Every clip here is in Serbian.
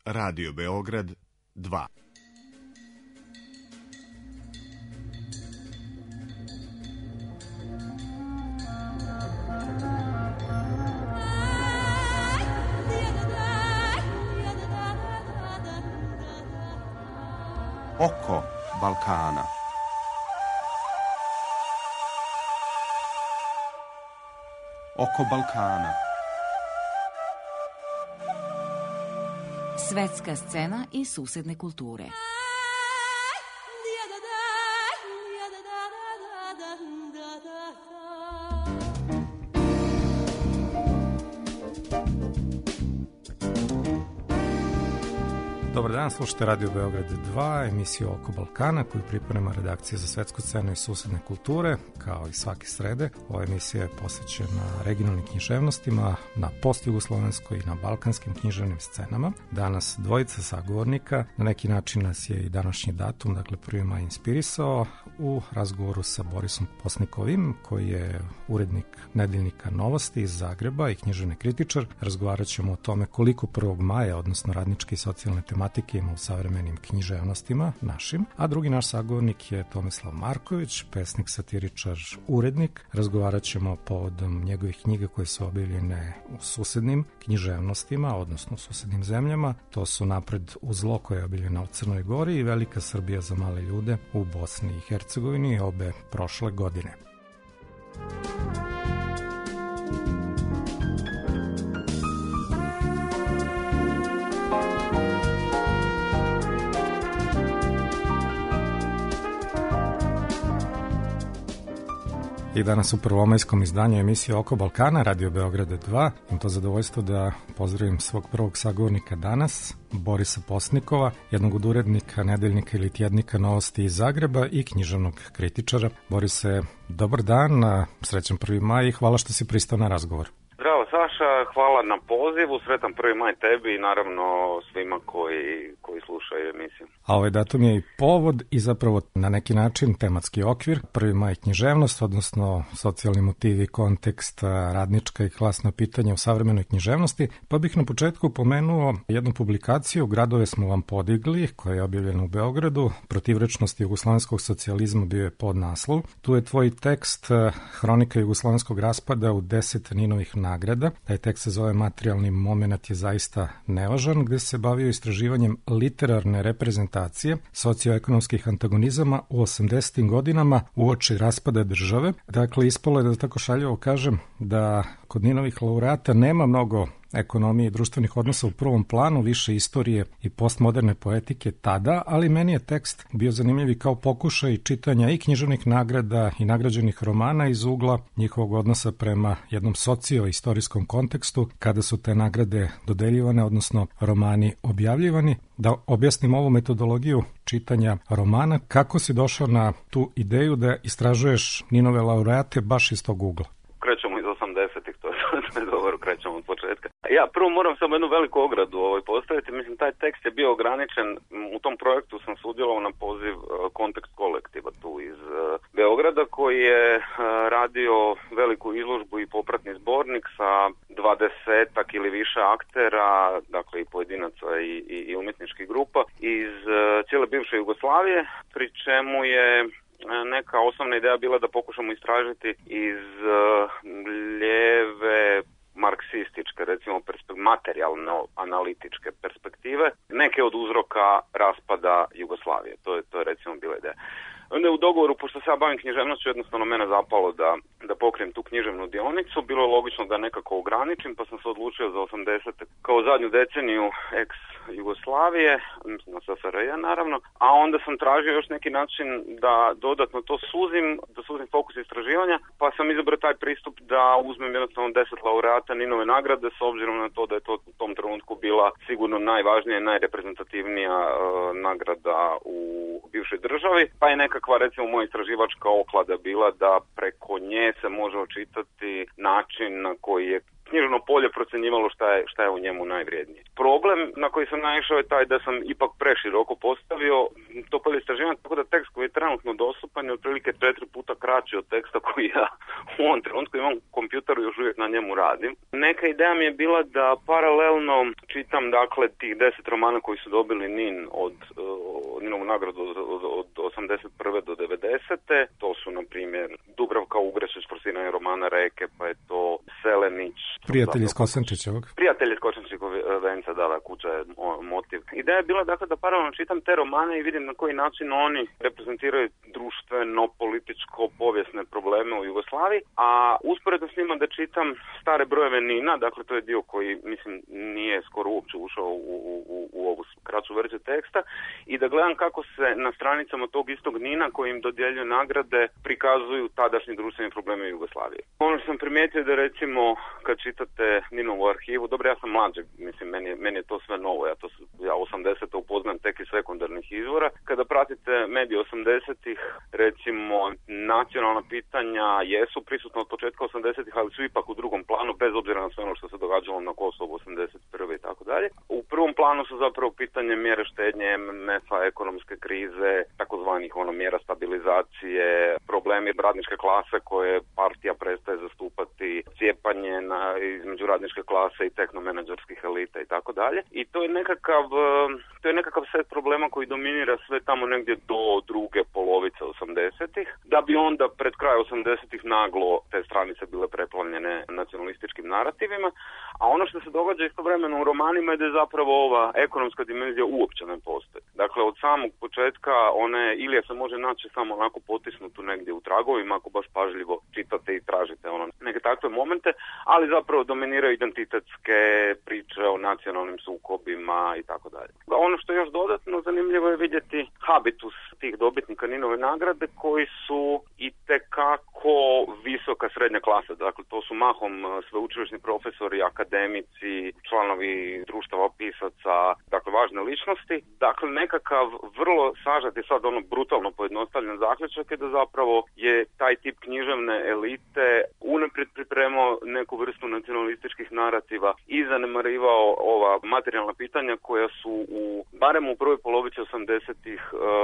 Radio Beograd 2. Oko Balkana. Oko Balkana. Svetska scena i susedne kulture. Dobar dan, slušajte Radio Beograd 2, emisiju Oko Balkana koju priprema redakcija za svetsku scenu i susedne kulture. Kao i svake srede, ova emisija je posvećena regionalnim književnostima na postjugoslovenskoj i na balkanskim književnim scenama. Danas dvojica sagovornika, na neki način nas je i današnji datum, dakle 1. maj inspirisao u razgovoru sa Borisom Posnikovim, koji je urednik nedeljnika Novosti iz Zagreba i književni kritičar. Razgovarat ćemo o tome koliko 1. maja, odnosno radničke i socijalne tematike ima u savremenim književnostima našim, a drugi naš sagovornik je Tomislav Marković, pesnik, satiričar, urednik. Razgovarat ćemo povodom njegovih knjiga koje su objavljene u susednim književnostima, odnosno u susednim zemljama. To su Napred u zlo koja je objavljena u Crnoj Gori i Velika Srbija za male ljude u Bosni i Hercegovini, obe prošle godine. I danas u prvomajskom izdanju emisije Oko Balkana, Radio Beograda 2, imam to zadovoljstvo da pozdravim svog prvog sagovornika danas, Borisa Posnikova, jednog od urednika nedeljnika ili tjednika Novosti iz Zagreba i književnog kritičara. Borise, dobar dan, srećan 1. maj i hvala što si pristao na razgovor. Zdravo Saša, hvala na pozivu, sretan 1. maj tebi i naravno svima koji slušaju emisiju. A ovaj datum je i povod i zapravo na neki način tematski okvir. 1. maj književnost, odnosno socijalni motivi, kontekst, radnička i klasna pitanja u savremenoj književnosti. Pa bih na početku pomenuo jednu publikaciju, Gradove smo vam podigli, koja je objavljena u Beogradu. Protivrečnost jugoslovenskog socijalizma bio je podnaslov. Tu je tvoj tekst Hronika jugoslovenskog raspada u 10 Ninovih nagrada. Taj tekst se zove Materijalni momenat je zaista nevažan, gde se bavio istraživanjem literarne reprezentacije socioekonomskih antagonizama u 80. godinama uoči raspada države. Dakle, ispalo je, da tako šaljivo kažem, da kod Ninovih laureata nema mnogo ekonomije i društvenih odnosa u prvom planu, više istorije i postmoderne poetike tada, ali meni je tekst bio zanimljiv i kao pokušaj čitanja i književnih nagrada i nagrađenih romana iz ugla njihovog odnosa prema jednom socio-istorijskom kontekstu kada su te nagrade dodeljivane, odnosno romani objavljivani. Da objasnim ovu metodologiju čitanja romana, kako si došao na tu ideju da istražuješ Ninove laureate baš iz tog ugla? Krećemo iz 80-ih, to je dobro, krećemo od početka. Ja prvo moram samo jednu veliku ogradu postaviti. Mislim, taj tekst je bio ograničen. U tom projektu sam sudjelovao na poziv Kontekst kolektiva tu iz Beograda, koji je radio veliku izložbu i popratni zbornik sa 20-ak ili više aktera, dakle i pojedinaca i umjetničkih grupa iz cijele bivše Jugoslavije, pri čemu je neka osnovna ideja bila da pokušamo istražiti iz lijeve marksističke, recimo materijalno-analitičke perspektive, neke od uzroka raspada Jugoslavije. To je recimo bila ideja. Onda je u dogovoru, pošto se ja bavim književnošću, jednostavno mene zapalo da pokrijem tu književnu dionicu. Bilo je logično da nekako ograničim, pa sam se odlučio za 80. kao zadnju deceniju ex-Jugoslavije, mislim na SFRJ naravno, a onda sam tražio još neki način da dodatno to suzim fokus istraživanja, pa sam izabrao taj pristup da uzmem jednostavno 10 laureata Ninove nagrade, s obzirom na to da je to u tom trenutku bila sigurno najvažnija i najreprezentativnija nagrada u bivšoj državi, pa je nekakva recimo moja istraživačka oklada bila da preko nje se može očitati način na koji je književno polje procjenjivalo šta je u njemu najvrijednije. Problem na koji sam naišao je taj da sam ipak preširoko postavio to polje istraživanja, tako da tekst koji je trenutno dostupan je otprilike 4 puta kraći od teksta koji ja u ovom trenutku imam u kompjuteru i još uvijek na njemu radim. Neka ideja mi je bila da paralelno čitam dakle tih 10 romana koji su dobili NIN od Ninovu nagradu od 81. do 90. To su, na primjer, Dubravka Ugrešić, forsiranje romana Reke, pa je to Selenić. Prijatelj iz Kosančićevog. Prijatelj iz Kosančićevog venca, da, kuća je motiv. Ideja je bila dakle da paralelno čitam te romane i vidim na koji način oni reprezentiraju društveno, političko, povijesne probleme u Jugoslaviji, a usporedno s njima da čitam stare brojeve NIN-a, dakle to je dio koji, mislim, nije skoro uopće ušao u ovu kraću verziju teksta, i da gledam kako se na stranicama tog istog NIN-a koji im dodjeljuje nagrade prikazuju tadašnji društveni problemi u Jugoslaviji. Ono što sam primijetio da recimo kad čitate NIN-ovu arhivu, dobro, ja sam mlađi, mislim, meni je to sve novo, ja 80. upoznam tek iz sekundarnih izvora. Kada pratite medije 80-ih, recimo nacionalna pitanja jesu prisutna od početka 80-ih, ali su ipak u drugom planu, bez obzira na sve ono što se događalo na Kosovu 81. i tako dalje. U prvom planu su zapravo pitanje mjere štednje, MMF-a, ekonomske krize, takozvanih mjera stabilizacije, problemi radničke klase koje partija prestaje zastupati, cijepanje između radničke klase i tehnomenadžerskih elita i tako dalje. I to je nekakav set problema koji dominira sve tamo negdje do druge polovice 80-ih, da bi onda pred kraj 80-ih naglo te stranice bile preplavljene nacionalističkim narativima, a ono što se događa istovremeno u romanima je da je zapravo ova ekonomska dimenzija uopće ne postoji. Dakle, od samog početka Ilija se može naći samo onako potisnutu negdje u tragovima, ako baš pažljivo čitate i tražite neke takve momente, ali zapravo dominiraju identitetske priče o nacionalnim sukobima i tako dalje. Ono što je još dodatno zanimljivo je vidjeti habitus tih dobitnika NIN-ove nagrade koji su itekako visoka srednja klasa. Dakle, to su mahom sveučilišni profesori, akademici, članovi društava pisaca, dakle važne ličnosti. Dakle, nekakav vrlo sažet i sad brutalno pojednostavljen zaključak je da zapravo je taj tip književne elite unaprijed pripremao neku vrstu nacionalističkih narativa i zanemarivao ova materijalna pitanja koja su barem u prvoj polovici 80-ih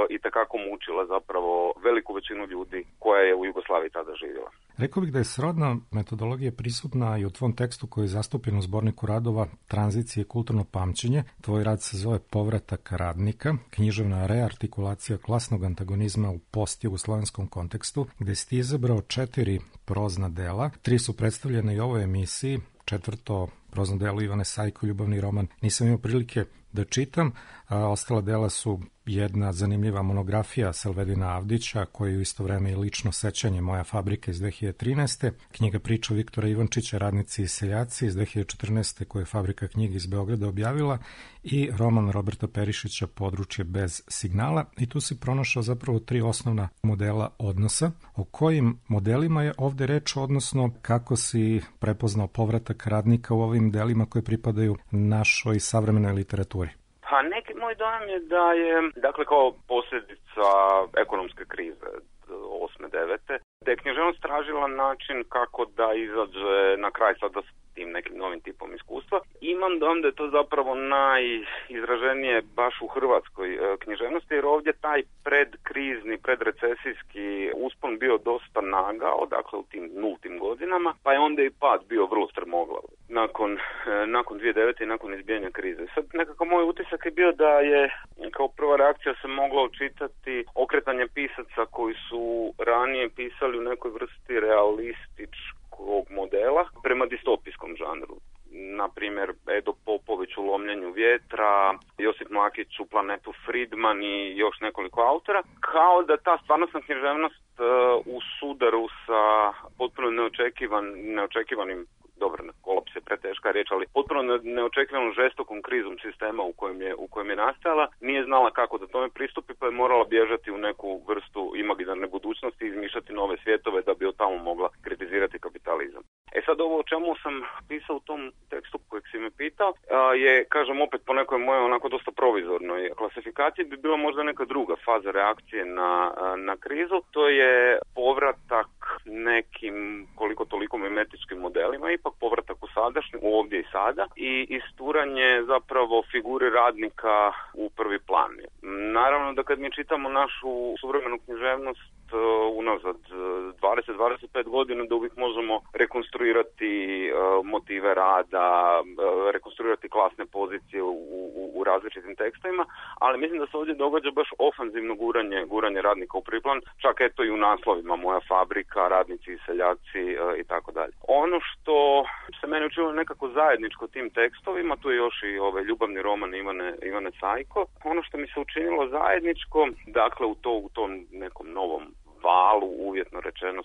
itekako mučila zapravo veliku većinu ljudi koja je u Jugoslaviji tada živjela. Rekao bih da je srodna metodologija prisutna i u tvom tekstu koji je zastupljen u zborniku radova Tranzicije i kulturno pamćenje. Tvoj rad se zove Povratak radnika, književna reartikulacija klasnog antagonizma u post-jugoslovenskom kontekstu, gde si ti izabrao 4 prozna dela. 3 su predstavljene i u ovoj emisiji, 4. prozno delo Ivane Sajko, ljubavni roman, nisam imao prilike da čitam, a ostala dela su jedna zanimljiva monografija Selvedina Avdića, koju u isto vreme i lično sećanje Moja fabrika iz 2013. Knjiga priča Viktora Ivančića Radnici i seljaci iz 2014. koju je Fabrika knjiga iz Beograda objavila, i roman Roberta Perišića Područje bez signala. I tu si pronašao zapravo 3 osnovna modela odnosa. O kojim modelima je ovde reč, odnosno kako si prepoznao povratak radnika u ovim delima koje pripadaju našoj savremenoj literaturi? Pa neki moj dojam je da je, dakle, kao posljedica ekonomske krize 8-9, da je književnost tražila način kako da izađe na kraj sada s tim nekim novim tipom iskustva. Imam dojam da je to zapravo najizraženije baš u hrvatskoj književnosti, jer ovdje taj predkrizni, predrecesijski uspon bio dosta nagao, dakle u tim nultim godinama, pa je onda i pad bio vrlo strmoglav nakon 2009. i nakon izbijanja krize. Sad nekako moj utisak je bio da je kao prva reakcija se mogla očitati okretanje pisaca koji su ranije pisali u nekoj vrsti realističkog modela prema distopijskom žanru. Na primjer, Edo Popović u Lomljenju vjetra, Josip Mlakić u Planetu Friedman i još nekoliko autora, kao da ta stvarnostna književnost u sudaru sa potpuno neočekivanim, dobro, kolaps je preteška riječ, ali potpuno neočekivanom žestokom krizom sistema u kojem je nastajala, nije znala kako da tome pristupi, pa je morala bježati u neku vrstu imaginarne budućnosti i izmišljati nove svjetove da bi od tamo mogla kritizirati kapitalizam. Sad ovo o čemu sam pisao u tom tekstu kojeg si me pitao je, kažem, opet po nekoj mojoj onako dosta provizornoj klasifikaciji bi bila možda neka druga faza reakcije na krizu. To je povratak nekim koliko toliko mimetičkim modelima, ipak povratak u sadašnje, ovdje i sada, i isturanje zapravo figure radnika u prvi plan. Naravno da kad mi čitamo našu suvremenu književnost unazad 20-25 godina, da uvijek možemo rekonstruirati motive rada, rekonstruirati klasne pozicije u različitim tekstovima, ali mislim da se ovdje događa baš ofanzivno guranje radnika u prvi plan, čak eto i u naslovima Moja fabrika, Radnici i seljaci i tako dalje. Ono što se meni učinilo nekako zajedničko tim tekstovima, tu je još i ljubavni roman Ivane Cajko, ono što mi se učinilo zajedničko, dakle u tom nekom novom valu, uvjetno rečeno,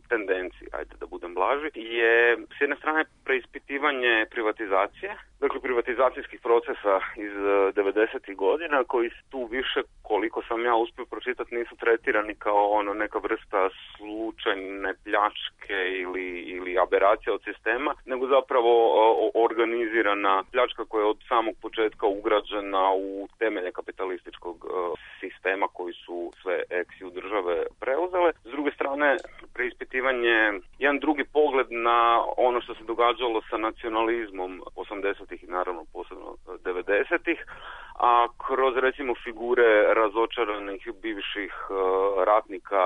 tendenciji, ajde da budem blaži, je s jedne strane preispitivanje privatizacije, dakle privatizacijskih procesa iz 90. godina, koji tu više, koliko sam ja uspio pročitati, nisu tretirani kao neka vrsta slučajne pljačke ili aberacija od sistema, nego zapravo organizirana pljačka koja je od samog početka ugrađena u temelje kapitalističkog sistema koji su sve ex-ju države preuzele. S druge strane, preispitivanje, jedan drugi pogled na ono što se događalo sa nacionalizmom 80-ih i naravno posebno 90-ih, a kroz recimo figure razočaranih bivših ratnika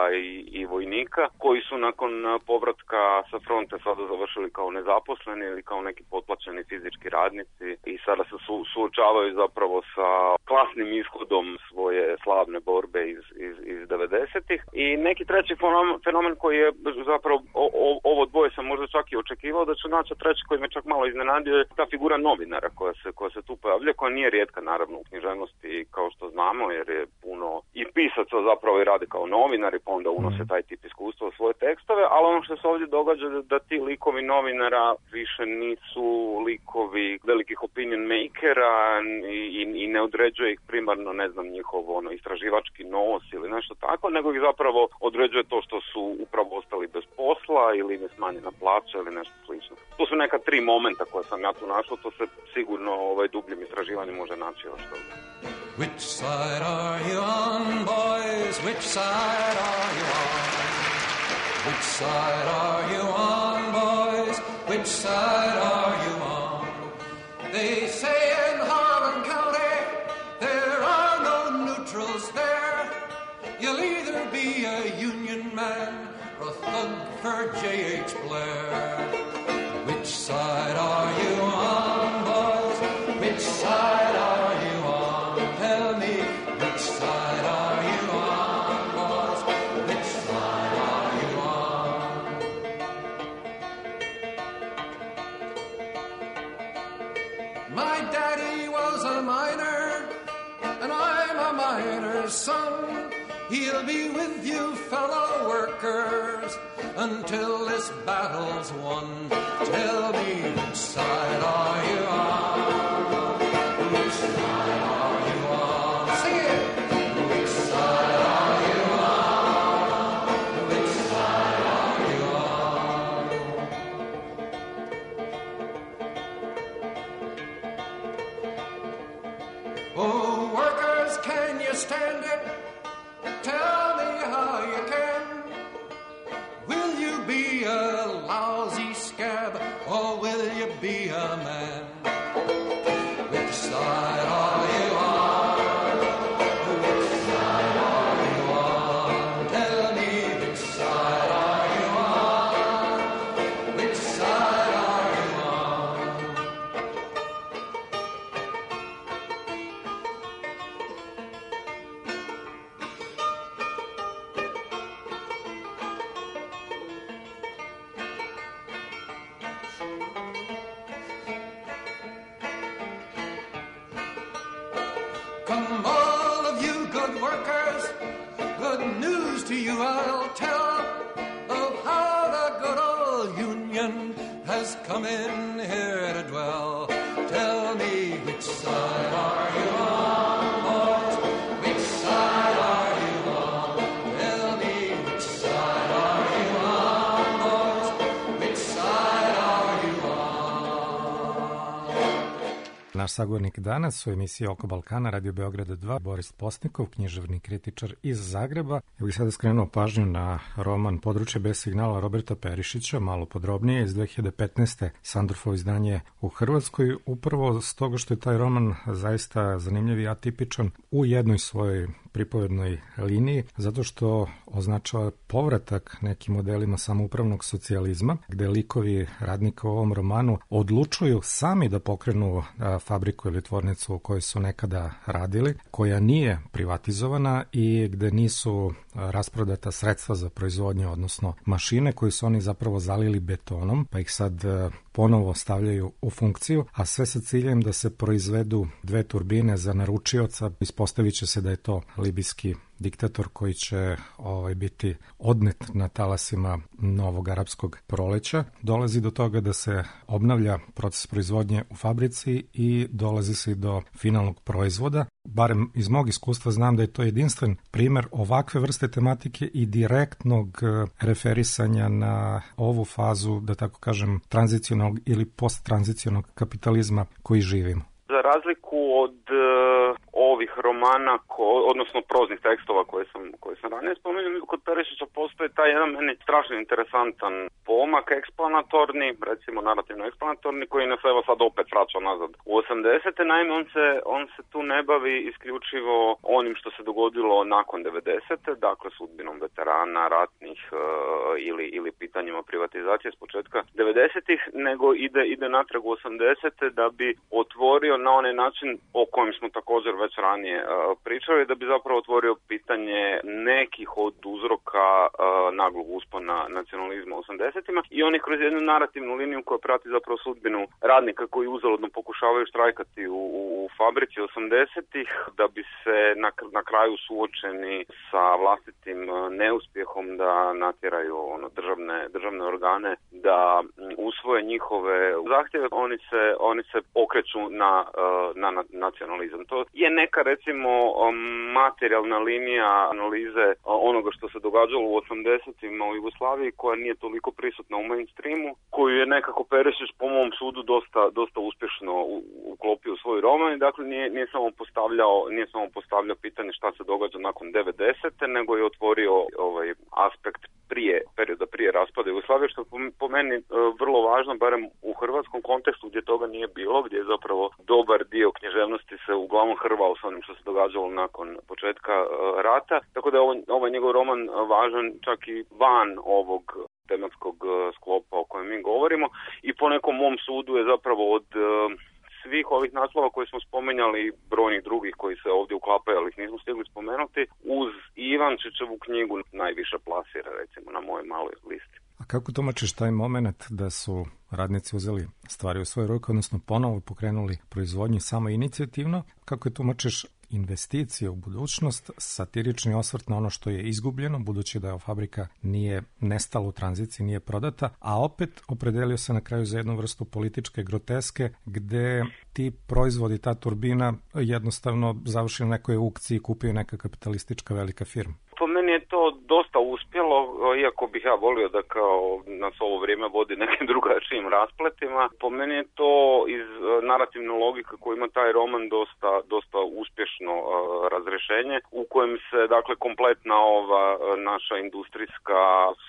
i vojnika koji su nakon povratka sa fronte sada završili kao nezaposleni ili kao neki potplaćeni fizički radnici i sada se suočavaju zapravo sa klasnim ishodom svoje slavne borbe iz 90-ih. I neki treći fenomen koji je zapravo, ovo dvoje sam možda čak i očekivao da ću naći, treći koji me čak malo iznenadio je ta figura novinara koja se tu pojavlja, koja nije rijetka naravno u književnosti kao što znamo, jer je puno i pisaca zapravo i rade kao novinari, pa onda unose taj tip iskustva u svoje tekstove, ali ono što se ovdje događa da ti likovi novinara više nisu likovi velikih opinion makera i ne određuje ih primarno, ne znam, njihov istraživački nos ili nešto tako, nego ih zapravo određuje to što su upravo ostali bez posla ili ne smanjena plaća ili nešto slično. To su neka tri momenta koje sam ja tu našao, to se sigurno dubljim istraživanjem može naći još toga. Which side are you on, boys? Which side are you on? Which side are you on, boys? Which side are you on? They say in Harlan County there are no neutrals there. You'll either be a Union man or a thug for J.H. Blair. Which side are you on, boys? Which side are you on? Tell me, which side are you on, boys? Which side are you on? My daddy was a miner, and I'm a miner's son. He'll be with you, fellow workers, until this battle's won. Tell me, which side are you on? Which side are you on? Sing it! Which side are you on? Which side are you on? Oh, workers, can you stand it? Tell me how you can. Will you be a lousy scab or will you be a man? Which side are you on? Which side are you on? Tell me, which side are you on? Which side are you on? Come all of you good workers, good news to you I'll tell of how the good old Union has come in here to dwell. Tell me, which side are you on, boys? Which side are you on? Tell me, which side are you on, boys? Which side are you on? Naš sagovornik danas u emisiji Oko Balkana, Radio Beograda 2, Boris Postnikov, književni kritičar iz Zagreba. Ja bih sada skrenuo pažnju na roman Područje bez signala Roberta Perišića, malo podrobnije, iz 2015. Sandorfovo izdanje u Hrvatskoj, upravo s toga što je taj roman zaista zanimljiv i atipičan u jednoj svojoj pripovednoj liniji, zato što označava povratak nekim modelima samoupravnog socijalizma, gde likovi radnika u ovom romanu odlučuju sami da pokrenu fabriku ili tvornicu u kojoj su nekada radili, koja nije privatizovana i gde nisu rasprodata sredstva za proizvodnju, odnosno mašine koje su oni zapravo zalili betonom, pa ih sad ponovo stavljaju u funkciju, a sve sa ciljem da se proizvedu 2 turbine za naručioca. Ispostavit će se da je to libijski diktator koji će biti odnet na talasima novog arapskog proleća. Dolazi do toga da se obnavlja proces proizvodnje u fabrici i dolazi se do finalnog proizvoda. Barem iz mog iskustva znam da je to jedinstven primer ovakve vrste tematike i direktnog referisanja na ovu fazu, da tako kažem, tranzicionalnog ili posttranzicionalnog kapitalizma koji živimo. Za razliku od ovih romana, odnosno proznih tekstova koje sam ranije spomenuo, kod Perišića postoji taj jedan meni strašno interesantan pomak eksplanatorni, recimo narativno eksplanatorni, koji nas evo sad opet vraća nazad u 80. Naime, on se tu ne bavi isključivo onim što se dogodilo nakon 90. Dakle, sudbinom veterana, ratnih ili pitanjima privatizacije s početka 90-ih, nego ide natrag u 80. da bi otvorio na onaj način o kojem smo također već ranije pričali, da bi zapravo otvorio pitanje nekih od uzroka naglog uspona nacionalizma u 80-ima i oni kroz jednu narativnu liniju koja prati zapravo sudbinu radnika koji uzaludno pokušavaju štrajkati u fabrici 80-ih, da bi se na kraju suočeni sa vlastitim neuspjehom da natjeraju državne organe da usvoje njihove zahtjeve, oni se okreću na nacionalizam. To je neka, recimo, materijalna linija analize onoga što se događalo u 80-ima u Jugoslaviji, koja nije toliko prisutna u mainstreamu, koju je nekako Perišić po mom sudu dosta uspješno uklopio u svoj roman. Dakle, nije samo postavljao pitanje šta se događa nakon 90-te, nego je otvorio aspekt perioda prije raspada Jugoslavije, što po meni vrlo važno, barem u hrvatskom kontekstu gdje toga nije bilo, gdje je zapravo dobar dio književnosti se uglavnom hrvao s onim što se događalo nakon početka rata. Tako da je ovaj njegov roman važan čak i van ovog tematskog sklopa o kojem mi govorimo i po nekom mom sudu je zapravo od svih ovih naslova koje smo spomenjali i brojnih drugih koji se ovdje uklapaju, ali ih nismo stigli spomenuti, uz Ivančićevu knjigu najviše plasira, recimo, na mojoj maloj listi. A kako tumačiš taj moment da su radnici uzeli stvari u svoje ruke, odnosno ponovo pokrenuli proizvodnju samo inicijativno? Kako je tumačiš investicije u budućnost, satirični osvrt na ono što je izgubljeno, budući da fabrika nije nestala u tranziciji, nije prodata, a opet opredelio se na kraju za jednu vrstu političke groteske, gde ti proizvodi, ta turbina, jednostavno završi na nekoj aukciji i kupio neka kapitalistička velika firma. Po meni je to dosta uspjelo, iako bih ja volio da kao nas ovo vrijeme vodi nekim drugačijim raspletima. Po meni je to iz narativne logike koju ima taj roman dosta uspješno razrješenje, u kojem se dakle kompletna ova naša industrijska,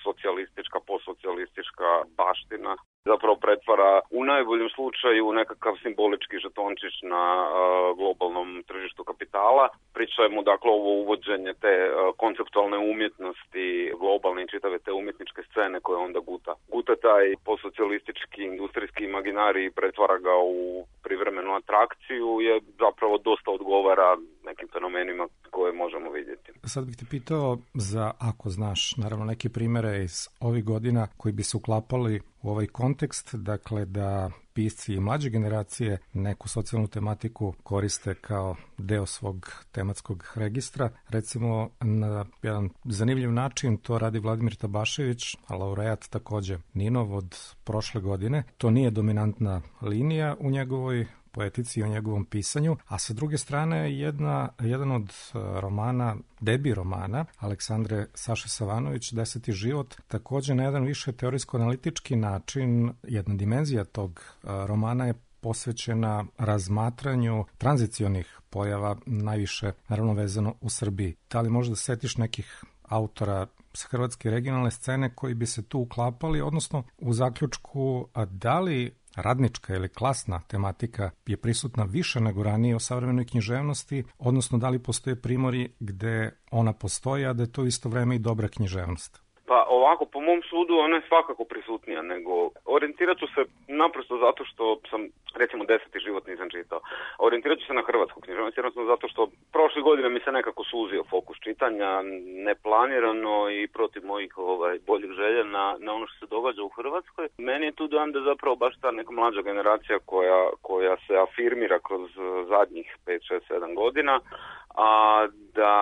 socijalistička, postsocijalistička baština zapravo pretvara u najboljem slučaju nekakav simbolički žetončić na globalnom tržištu kapitala. Pričajmo dakle ovo uvođenje te konceptualne umjetnosti, globalne i čitave te umjetničke scene koje onda guta taj postsocijalistički industrijski imaginari i pretvara ga u privremenu atrakciju, je zapravo dosta odgovara nekim fenomenima koje možemo vidjeti. Sad bih te pitao za, ako znaš, naravno neke primjere iz ovih godina koji bi se uklapali u ovaj kontekst, dakle da pisci i mlađe generacije neku socijalnu tematiku koriste kao deo svog tematskog registra. Recimo, na jedan zanimljiv način to radi Vladimir Tabašević, a laureat takođe Ninov od prošle godine. To nije dominantna linija u njegovoj poetici i o njegovom pisanju, a sa druge strane jedan od romana, debi romana Aleksandre Saše Savanović, 10. život, takođe na jedan više teorijsko-analitički način, jedna dimenzija tog romana je posvećena razmatranju tranzicionih pojava, najviše naravno vezano u Srbiji. Da li možda setiš nekih autora s hrvatske regionalne scene koji bi se tu uklapali, odnosno u zaključku, a da li radnička ili klasna tematika je prisutna više nego ranije u savremenoj književnosti, odnosno da li postoje primori gde ona postoji, a da je to isto vreme i dobra književnost? Pa ovako, po mom sudu ona je svakako prisutnija, nego orijentirat ću se naprosto zato što sam, recimo, 10. život nisam čitao. Orijentirat ću se na hrvatsku književnost, jednostavno zato što prošle godine mi se nekako suzio fokus čitanja, neplanirano i protiv mojih boljih želja na ono što se događa u Hrvatskoj. Meni je tu dojam da zapravo baš ta neka mlađa generacija koja se afirmira kroz zadnjih 5, 6, 7 godina, a da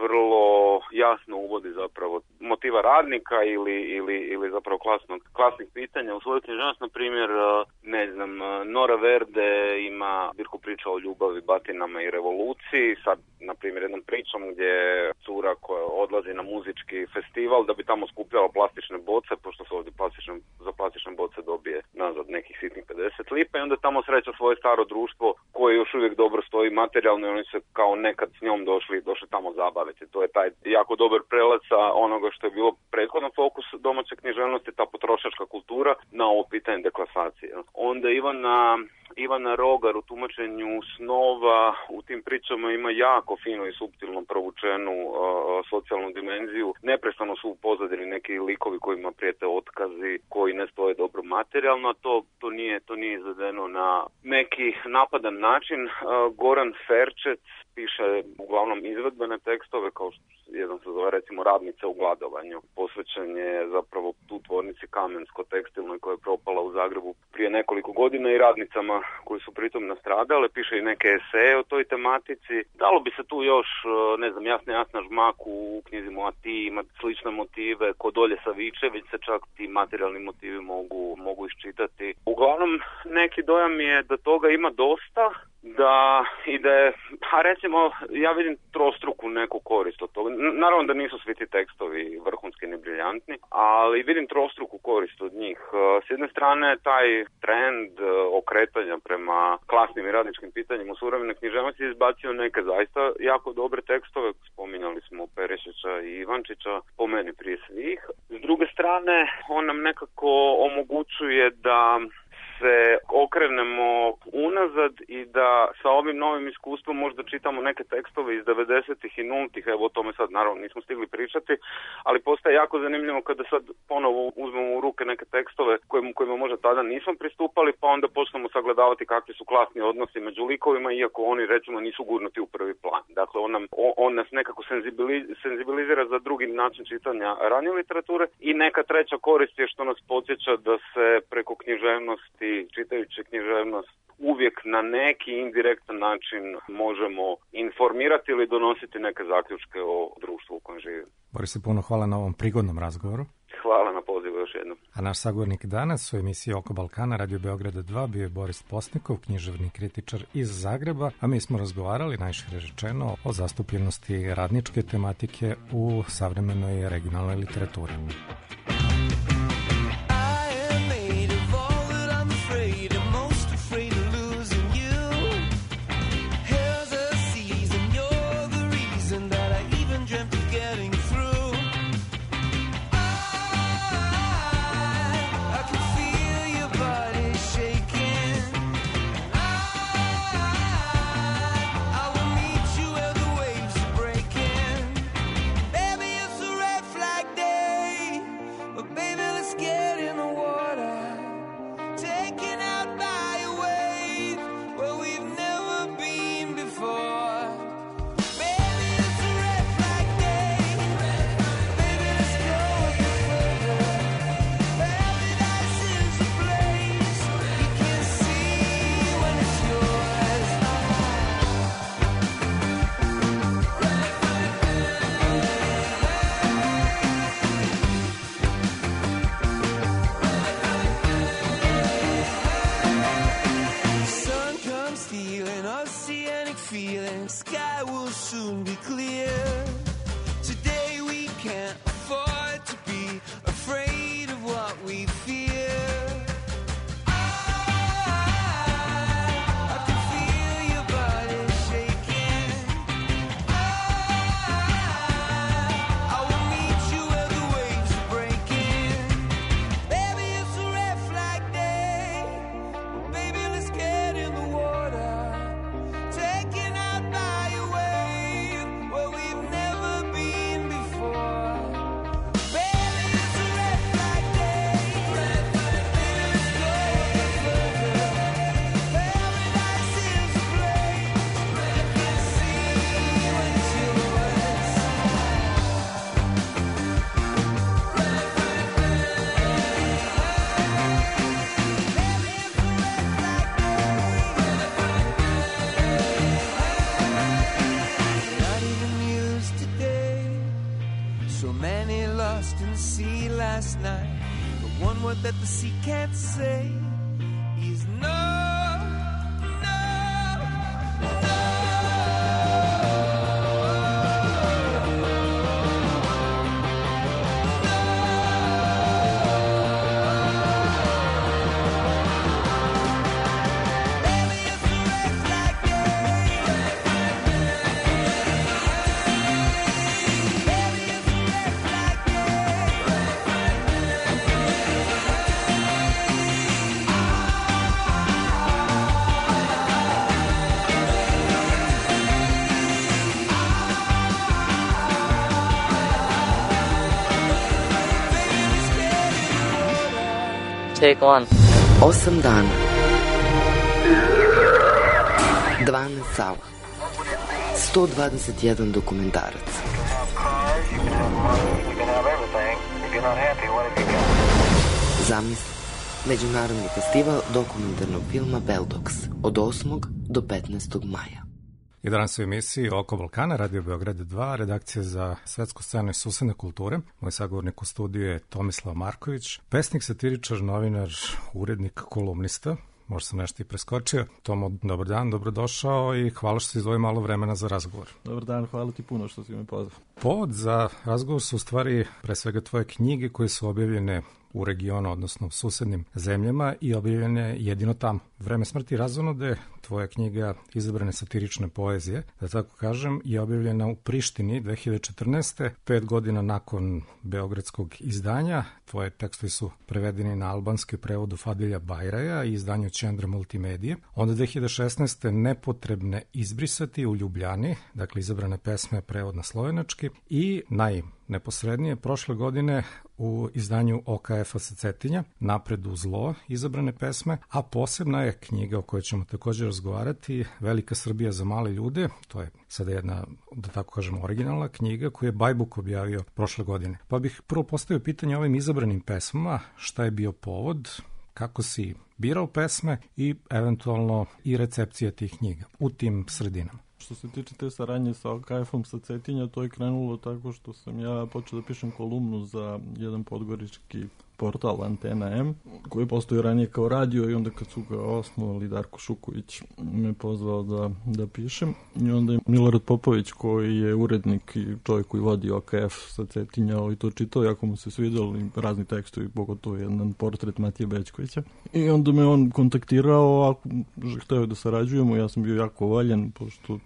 vrlo jasno uvodi zapravo motiva radnika ili zapravo klasnih pitanja u svoju književnost. Na primjer, ne znam, Nora Verde ima zbirku priča o ljubavi, batinama i revoluciji, sad na primjer jednom pričom gdje je cura koja odlazi na muzički festival da bi tamo skupljala plastične boce, pošto se ovdje za plastične boce dobije nazad nekih sitnih 50 lipa, i onda tamo sreća svoje staro društvo koje još uvijek dobro stoji materijalno i oni se kao nekad s njom došli tamo zabaviti. To je taj jako dobar prelaz sa onoga što je bilo prethodno fokus domaće književnosti, ta potrošačka kultura, na ovo pitanje deklasacije. Onda Ivana Rogar u tumačenju snova u tim pričama ima jako fino i suptilno provučenu socijalnu dimenziju. Neprestano su u pozadini neki likovi kojima prijete otkazi, koji ne stoje dobro materijalno, a to nije izvedeno na neki napadan način. Goran Ferčec piše uglavnom izvedbene tekstove, kao što jedan se zove recimo Radnice u gladovanju. Posvećen je zapravo tu tvornici Kamensko-tekstilnoj koja je propala u Zagrebu prije nekoliko godina i radnicama koji su pritom nastradale. Piše i neke eseje o toj tematici. Dalo bi se tu još, ne znam, Jasna Žmak u knjizi Moja ti ima slične motive. Kod Olje Savičević se čak ti materijalni motivi mogu iščitati. Uglavnom, neki dojam je da toga ima dosta, da je, recimo, ja vidim trostruku neku korist od toga. Naravno da nisu svi ti tekstovi vrhunski ni briljantni, ali vidim trostruku korist od njih. S jedne strane, taj trend okretanja prema klasnim i radničkim pitanjima u suvremenoj književnosti izbacio neke zaista jako dobre tekstove. Spominjali smo Perišića i Ivančića, po meni prije svih. S druge strane, on nam nekako omogućuje da se okrenemo unazad i da sa ovim novim iskustvom možda čitamo neke tekstove iz 90-ih i 0-ih, evo o tome sad naravno nismo stigli pričati, ali postaje jako zanimljivo kada sad ponovo uzmemo u ruke neke tekstove kojima možda tada nismo pristupali, pa onda počnemo sagledavati kakvi su klasni odnosi među likovima, iako oni recimo nisu gurnuti u prvi plan. Dakle, on nas nekako senzibilizira za drugi način čitanja ranije literature i neka treća korist je što nas podsjeća da se preko književnosti, čitajući književnost, uvijek na neki indirektan način možemo informirati ili donositi neke zaključke o društvu u kojem živimo. Boris, puno hvala na ovom prigodnom razgovoru. Hvala na pozivu još jednom. A naš sagovornik danas u emisiji Oko Balkana Radio Beograda 2 bio je Boris Postnikov, književni kritičar iz Zagreba, a mi smo razgovarali, najšire rečeno, o zastupljenosti radničke tematike u savremenoj regionalnoj literaturi. last night. The one word that the sea can't say is no, no, no. Take one. 8 dana. 12 sala. 121 dokumentarac. Zamisli. Međunarodni festival dokumentarnog filma Beldox od 8. do 15. maja. I danas u emisiji Oko Balkana, Radio Beograd 2, redakcija za svetsku scenu i susedne kulture. Moj sagovornik u studiju je Tomislav Marković, pesnik, satiričar, novinar, urednik, kolumnista. Možda sam nešto i preskočio. Tomo, dobar dan, dobrodošao i hvala što si izdvojio malo vremena za razgovor. Dobar dan, hvala ti puno što si me pozvao. Povod za razgovor su u stvari pre svega tvoje knjige koje su objavljene u regionu, odnosno u susednim zemljama i objavljene jedino tamo. Vreme smrti i razonude, tvoja knjiga Izabrane satirične poezije, da tako kažem, je objavljena u Prištini 2014. 5 godina nakon beogradskog izdanja. Tvoje tekstovi su prevedeni na albanski prevodu Fadilja Bajraja i izdanju Čendra Multimedije. Onda 2016. Nepotrebne izbrisati u Ljubljani, dakle Izabrane pesme, prevod na slovenački i neposrednije prošle godine u izdanju OKF-a sa Cetinja, Napred u zlo, Izabrane pesme, a posebna je knjiga o kojoj ćemo također razgovarati, Velika Srbija za male ljude. To je sada jedna, da tako kažemo, originalna knjiga koju je Bajbuk objavio prošle godine. Pa bih prvo postavio pitanje o ovim izabranim pesmama, šta je bio povod, kako si birao pesme i eventualno i recepcija tih knjiga u tim sredinama. Što se tiče te saradnje sa OKF-om sa Cetinja, to je krenulo tako što sam ja počeo da pišem kolumnu za jedan podgorički portal Antena M, koji je postojao ranije kao radio i onda kad su ga osnovali, Darko Šuković me pozvao da pišem. I onda je Milorad Popović, koji je urednik i čovjek koji vodi OKF sa Cetinja, i to čitao, jako mu se svidjeli razni tekstovi, pogotovo jedan portret Matije Bećkovića. I onda me on kontaktirao, ako hteo da sarađujemo, ja sam bio jako voljen, pošto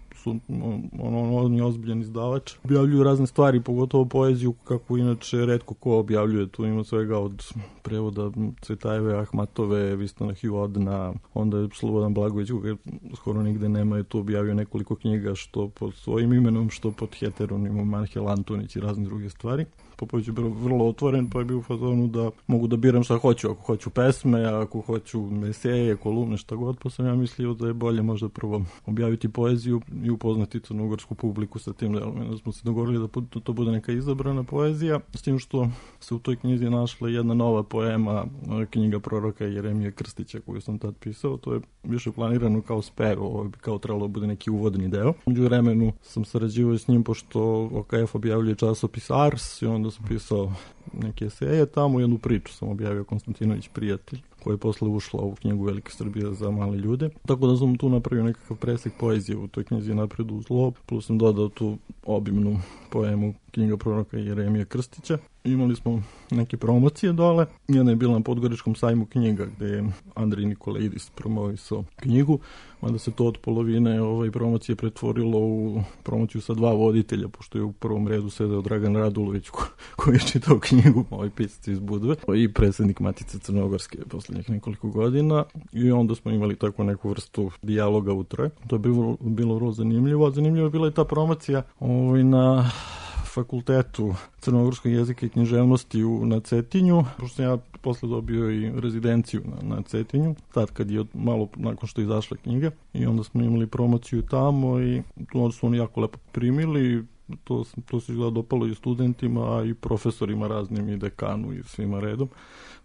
on je ozbiljan izdavač. Objavljuju razne stvari, pogotovo poeziju, kako inače retko ko objavljuje. Tu ima svega od prevoda Cvetajeve, Ahmatove, Vistana Hivodna, onda je Slobodan Blagović, koga skoro nigde nema, je tu objavio nekoliko knjiga, što pod svojim imenom, što pod heteronimom, Anhel Antonić i razne druge stvari. Popović je bio vrlo otvoren, pa je bio u fazonu da mogu da biram šta hoću, ako hoću pesme, ako hoću eseje, kolumne, šta god, pa sam ja mislio da je bolje možda prvo objaviti poeziju i upoznati crnogorsku publiku sa tim delom. Da smo se dogovorili da to bude neka izabrana poezija, s tim što se u toj knjizi našla jedna nova poema, knjiga proroka Jeremije Krstića, koju sam tad pisao. To je više planirano kao spev, ovo bi kao trebalo da bude neki uvodni deo. Među vremenu sam sarađivao s njim, pošto OKF objavljuje časopis Ars, i onda sam pisao neke eseje tamo, jednu priču sam objavio, Konstantinović prijatelj, koja je posle ušla u knjigu Velike Srbije za male ljude. Tako da sam tu napravio nekakav presek poezije u toj knjizi Napred u zlo, plus sam dodao tu obimnu poemu knjiga proroka Jeremije Krstića. Imali smo neke promocije dole. Jedna je bila na Podgoričkom sajmu knjiga, gde je Andrej Nikolaidis promovisao knjigu, onda se to od polovine promocije pretvorilo u promociju sa 2 voditelja, pošto je u prvom redu sedeo Dragan Radulović, koji je čitao knjigu, pisac iz Budve, i predsjednik Matice Crnogorske poslednjih nekoliko godina, i onda smo imali tako neku vrstu dijaloga u troje. To je bilo vrlo zanimljivo. Zanimljivo je bila i ta promocija na fakultetu crnogorskog jezika i književnosti na Cetinju, pošto sam ja posle dobio i rezidenciju na Cetinju, tad kad je malo nakon što je izašla knjiga, i onda smo imali promociju tamo i tu su oni jako lepo primili. to se izgleda dopalo i studentima, a i profesorima raznim, i dekanu i svima redom.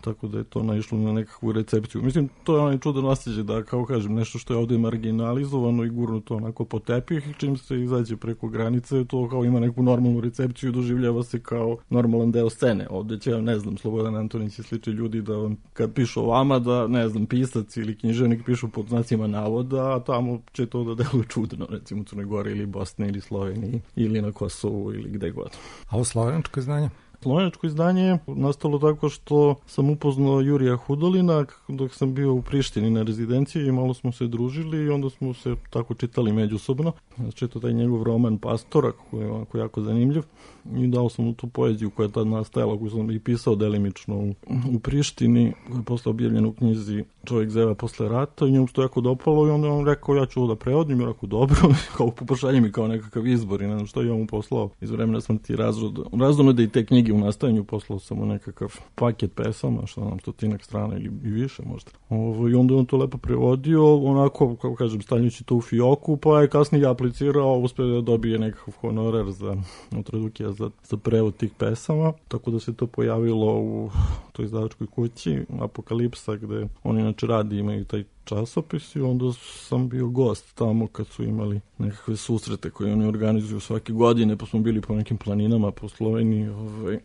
Tako da je to naišlo na nekakvu recepciju. Mislim, to je onaj čudan osjećaj da, kao kažem, nešto što je ovdje marginalizovano i gurnuto onako po tepih, čim se izađe preko granice, to kao ima neku normalnu recepciju i doživljava se kao normalan deo scene. Ovdje će, ne znam, Slobodan Antonić i slični ljudi da vam, kad pišu o vama, da, ne znam, pisac ili književnik pišu pod znacima navoda, a tamo će to da deluje čudno, recimo u Crnoj Gori ili Bosni ili Sloveniji ili na Kosovu ili gde god. A ovo slovenačko izdanje? Slovenačko izdanje je nastalo tako što sam upoznao Jurija Hudolina dok sam bio u Prištini na rezidenciji i malo smo se družili i onda smo se tako čitali međusobno. Čitao taj njegov roman Pastora koji je jako zanimljiv i dao sam mu tu poeziju koja je tad nastajala, koju sam i pisao delimično u Prištini, koja je posle objavljena u knjizi Čovjek zeva posle rata i njemu se to jako dopalo i onda on rekao ja ću ovo da prevodim i rekao dobro, kao pošalje mi kao nekakav izbor i ne znam što je on mu poslao iz vremena smrti Razdonode i te knjige u nastajanju, poslao sam mu nekakav paket pesama, što nam 100 strana ili i više možda. I onda on to lepo prevodio, onako, kako kažem, stavljajući to u fioku, pa je kasnije aplicirao, uspio da dobije nekakav honorar za Tradukija za prevod tih pesama, tako da se to pojavilo u toj izdavačkoj kući Apokalipsa, gde oni inače radi, imaju taj časopis i onda sam bio gost tamo kad su imali nekakve susrete koje oni organizuju svake godine, pa smo bili po nekim planinama po Sloveniji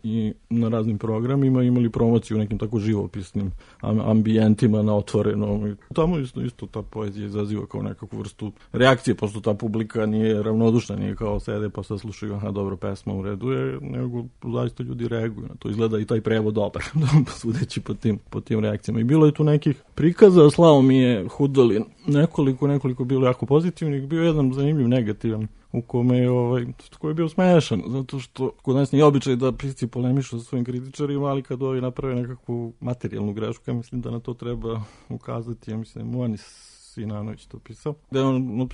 i na raznim programima imali promociju u nekim tako živopisnim ambijentima na otvorenom. I tamo isto ta poezija izaziva kao nekakvu vrstu reakcije, pošto ta publika nije ravnodušna, nije kao sede pa sad slušaju, aha, dobro, pesma u redu je, nego zaista ljudi reaguju na to. Izgleda i taj prevod dobar, sudeći po tim reakcijama. I bilo je tu nekih prikaza, slao mi je Hudolin nekoliko bilo jako pozitivnih, bio jedan zanimljiv negativan u kome je koji je bio smešan, zato što kod nas nije običaj da pisci polemišu sa svojim kritičarima, ali kad ovi naprave nekakvu materijalnu grešku, ja mislim da na to treba ukazati, ja mislim Moanis Sinanović to pisao, da je on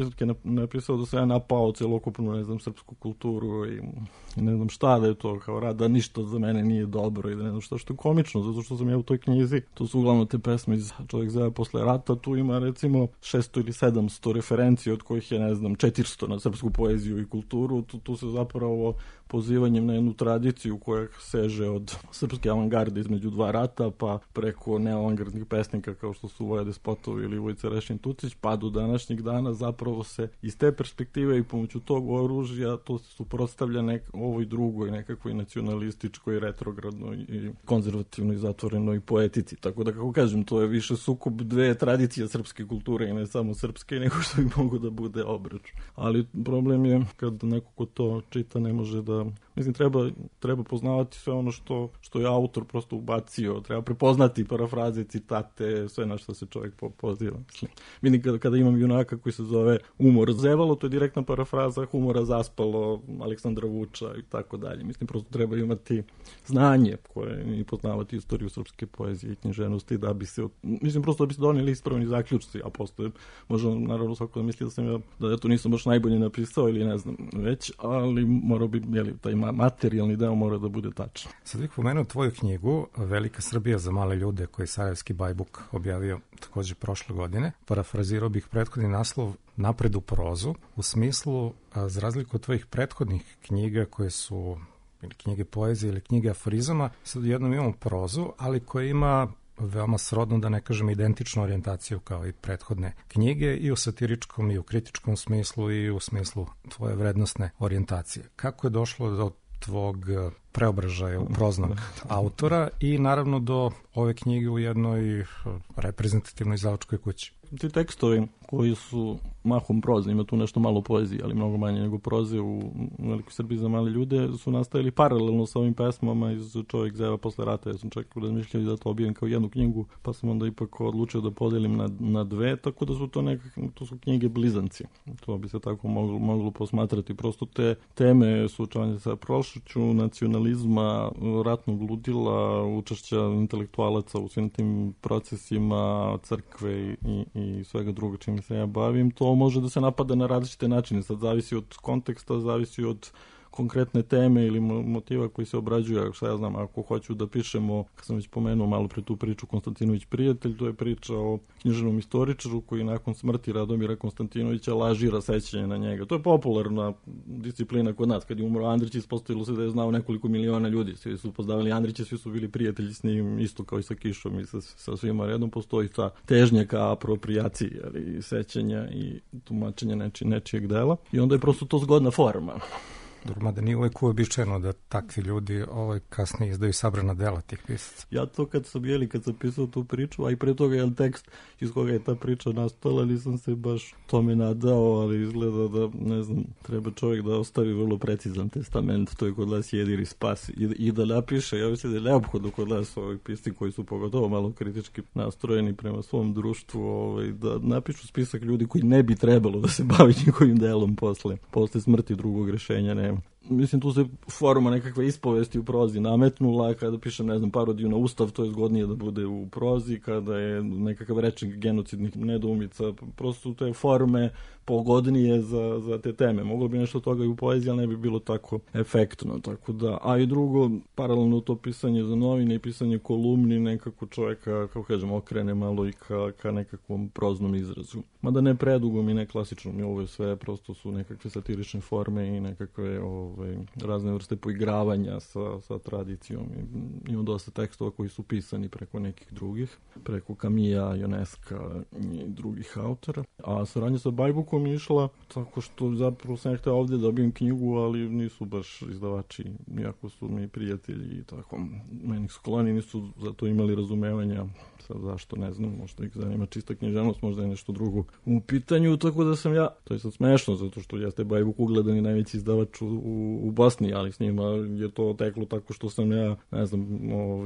napisao da sam ja napao celokupnu, ne znam, srpsku kulturu i ne znam šta, da je to kao rad, da ništa za mene nije dobro i da ne znam šta, što je komično, zato što sam ja u toj knjizi, to su uglavnom te pesme iz Čovjek zove posle rata, tu ima recimo 600 ili 700 referencija, od kojih je, ne znam, 400 na srpsku poeziju i kulturu, tu se zapravo pozivanjem na jednu tradiciju koja seže od srpske avangarde između dva rata, pa preko neoavangardnih pesnika kao što su Voja Despotovi ili Vojica Rešin Tucić, pa do današnjeg dana zapravo se iz te perspektive i pomoću tog oružja to se suprotstavlja ovoj drugoj nekakvoj nacionalističkoj, retrogradnoj i konzervativnoj, zatvorenoj poetici. Tako da, kako kažem, to je više sukob dve tradicije srpske kulture i ne samo srpske, nego što bi mogo da bude obračun. Ali problem je kad neko ko to čita ne može da... Mislim, treba poznavati sve ono što je autor prosto ubacio, treba prepoznati parafraze, citate, sve na što se čovjek poziva. Vidim, kada imam junaka koji se zove Umor zevalo, to je direktna parafraza Humora zaspalo, Aleksandra Vuča i tako dalje. Mislim, prosto treba imati znanje koje i poznavati istoriju srpske poezije i književnosti da bi se, mislim, prosto da bi se donijeli ispravni zaključci, a postoje, možda, naravno, svako da misli da ja to nisam baš najbolje napisao ili ne znam već, ali mora bi, taj materijalni deo mora da bude tačan. Sad bih pomenuo tvoju knjigu Velika Srbija za male ljude, koji je Sarajevski Bajbuk objavio također prošle godine. Parafrazirao bih prethodni naslov Napred u prozu, u smislu, za razliku od tvojih prethodnih knjiga koje su ili knjige poezije ili knjige aforizama, sad jednom imamo prozu, ali koja ima veoma srodno, da ne kažem identičnu orijentaciju kao i prethodne knjige, i u satiričkom i u kritičkom smislu i u smislu tvoje vrednostne orijentacije. Kako je došlo do tvog preobražaja u proznog autora i naravno do ove knjige u jednoj reprezentativnoj izdavačkoj kući? Ti tekstovi koji su mahom prozni, ima tu nešto malo poezije, ali mnogo manje nego proze u Velikoj Srbiji za male ljude, su nastajali paralelno sa ovim pesmama iz Čovjek zeva posle rata. Ja sam čak razmišljao da to objavim kao jednu knjigu, pa sam onda ipak odlučio da podelim na dve, tako da su to su knjige blizanci. To bi se tako moglo posmatrati. Prosto te teme suočavanja sa prošlošću, nacionalizma, ratnog ludila, učešća intelektualaca u svim tim procesima, crkve i svega druga čime se ja bavim, to može da se napada na različite načine. Sad zavisi od konteksta, zavisi od konkretne teme ili motiva koji se obrađuju. Šta ja znam, ako hoću da pišemo, kad sam već pomenuo malo pre tu priču Konstantinović prijatelj, to je priča o književnom istoričaru koji nakon smrti Radomira Konstantinovića lažira sećanje na njega. To je popularna disciplina kod nas. Kad je umro Andrić, ispostavilo se da je znao nekoliko miliona ljudi. Svi su upoznavali Andrića, svi su bili prijatelji s njim, isto kao i sa Kišom i sa svima redom. Postoji ta težnja ka apropriaciji, ali sećanja i tumačenja nečijeg dela. I onda je prosto to zgodna forma. Mada nije uvek uobičajeno da takvi ljudi kasnije izdaju sabrana dela tih pisaca. Ja to kad sam pisao tu priču, a i pre toga je tekst iz koga je ta priča nastala, nisam se baš tome nadao, ali izgleda da, ne znam, treba čovjek da ostavi vrlo precizan testament, to je kod nas jedir i spas, i da napiše. Ja mislim da je neophodno kod nas ovih pisci koji su pogotovo malo kritički nastrojeni prema svom društvu, da napišu spisak ljudi koji ne bi trebalo da se bavi njihovim delom posle smrti drugog rešenja nema. Mislim, tu se forma nekakve ispovesti u prozi nametnula, kada pišem, ne znam, parodiju na Ustav, to je zgodnije da bude u prozi, kada je nekakav rečnik genocidnih nedoumica, prosto te forme pogodnije za te teme. Moglo bi nešto toga i u poeziji, ali ne bi bilo tako efektno, tako da, a i drugo, paralelno to pisanje za novine i pisanje kolumni, nekako čovjeka, kako kažem, okrene malo i ka nekakvom proznom izrazu. Mada ne predugom i ne klasičnom, ovo je sve, prosto su nekakve satirične forme i nekakve razne vrste poigravanja sa tradicijom. Imam dosta tekstova koji su pisani preko nekih drugih, preko Kamija, Ioneska i drugih autora. A saradnja sa Bajbukom je išla tako što zapravo sam htio ovdje da dobijem knjigu, ali nisu baš izdavači, iako su mi prijatelji i tako. Meni su skloni, nisu za to imali razumevanja. Sad zašto, ne znam, možda ih zanima čista književnost, možda je nešto drugo u pitanju, tako da sam ja, to je sad smešno, zato što jeste Bajbuk ugledani najveći izdavač u Bosni, ali s njima je to teklo tako što sam ja, ne znam,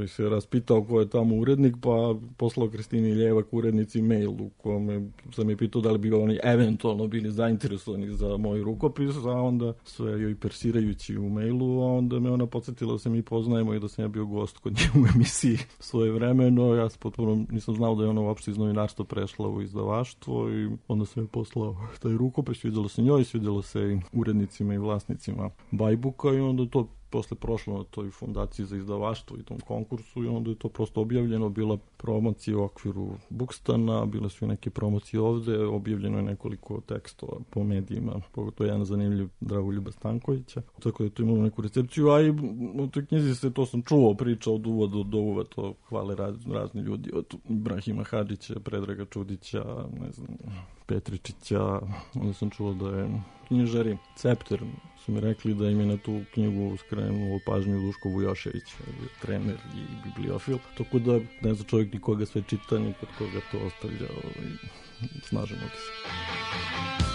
se raspitao ko je tamo urednik, pa poslao Kristini Ljevak urednici mail u kome sam je pitao da li bi oni eventualno bili zainteresovani za moj rukopis, a onda sve joj persirajući u mailu, a onda me ona podsjetila da se mi poznajemo i da sam ja bio gost kod nje u emisiji svoje vremeno. Ja se potpuno nisam znao da je ona uopšte iz novinarstva prešla u izdavaštvo i onda sam je poslao taj rukopis, svidjelo se njoj, svidjelo se i urednicima i vlasnicima Bajbuka i onda to posle prošlo na toj fondaciji za izdavaštvo i tom konkursu i onda je to prosto objavljeno, bila promocija u okviru Bukstana, bile su i neke promocije ovde, objavljeno je nekoliko tekstova po medijima, pogotovo jedan zanimljiv Dragoljuba Stankovića, tako da je to imalo neku recepciju, a i u toj knjizi se, to sam čuo, priča od uvoda do uvod, to hvale razni ljudi, od Ibrahima Hadžića, Predraga Čudića, ne znam, Petričića, onda sam čuo da je knjižari Cepter su mi rekli da im je na tu knjigu skrenuo pažnju Duško Vujošević, trener i bibliofil, tako da ne zna čovjek nikoga sve čita, ni kod koga to ostavlja snažan utisak.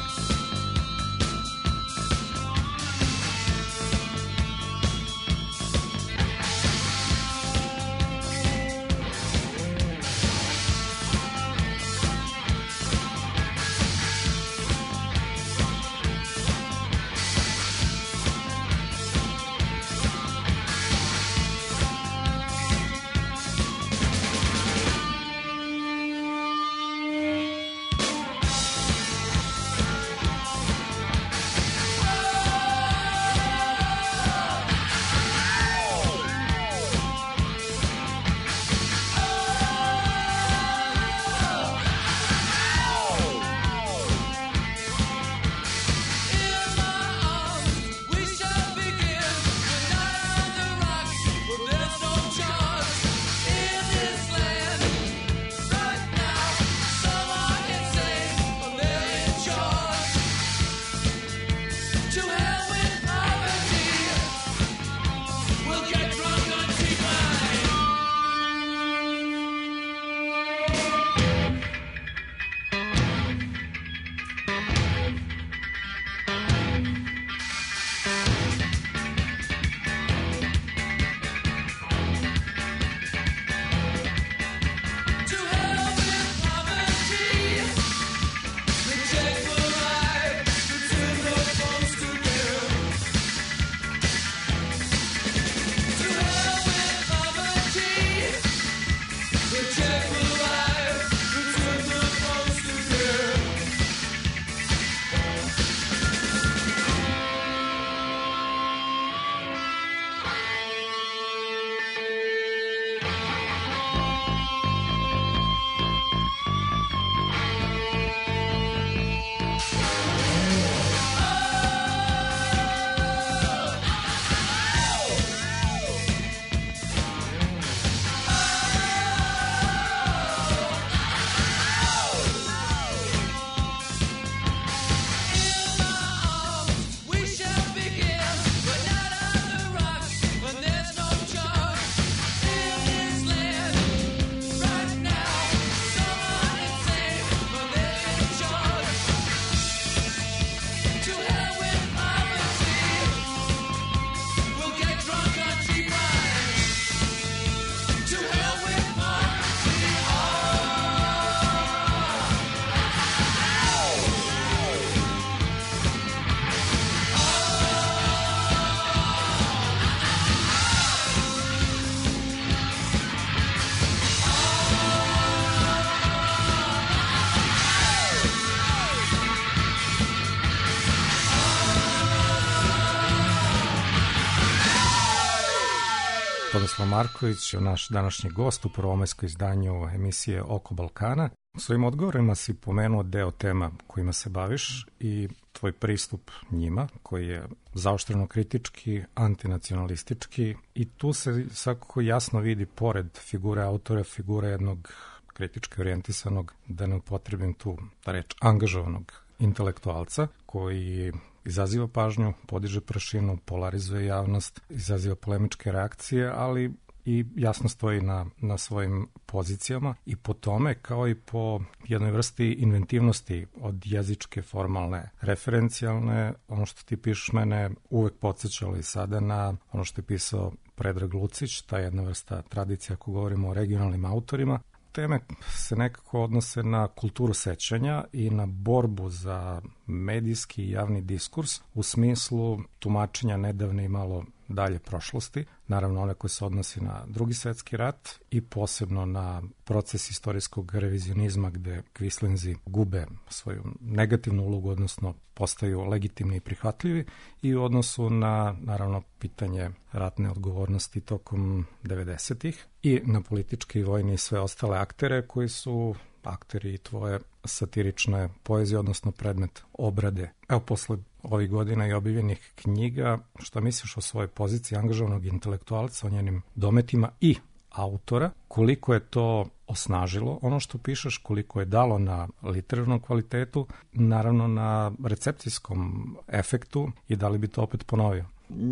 Tomislav Marković, naš današnji gost u prvomajskoj izdanju emisije Oko Balkana. U svojim odgovorima si pomenuo deo tema kojima se baviš i tvoj pristup njima, koji je zaoštreno kritički, antinacionalistički, i tu se svakako jasno vidi, pored figure autora, figure jednog kritički orijentisanog, da ne upotrebim tu reč, angažovanog intelektualca, koji izaziva pažnju, podiže prašinu, polarizuje javnost, izaziva polemičke reakcije, ali i jasno stoji na svojim pozicijama, i po tome, kao i po jednoj vrsti inventivnosti od jezičke, formalne, referencijalne, ono što ti pišeš mene uvek podsjećalo i sada na ono što je pisao Predrag Lucić, ta jedna vrsta tradicija ako govorimo o regionalnim autorima. Teme se nekako odnose na kulturu sećanja i na borbu za medijski i javni diskurs u smislu tumačenja nedavne i malo dalje prošlosti, naravno one koje se odnosi na Drugi svetski rat i posebno na proces istorijskog revizionizma gde kvislinzi gube svoju negativnu ulogu, odnosno postaju legitimni i prihvatljivi, i u odnosu na, naravno, pitanje ratne odgovornosti tokom 90-ih i na političke i vojne i sve ostale aktere koji su akteri tvoje satirične poezije, odnosno predmet obrade. Evo, posle ovih godina i objavljenih knjiga, šta misliš o svojoj poziciji angažovanog intelektualca, o njenim dometima i autora, koliko je to osnažilo ono što pišeš, koliko je dalo na literarnom kvalitetu, naravno na recepcijskom efektu, i da li bi to opet ponovio?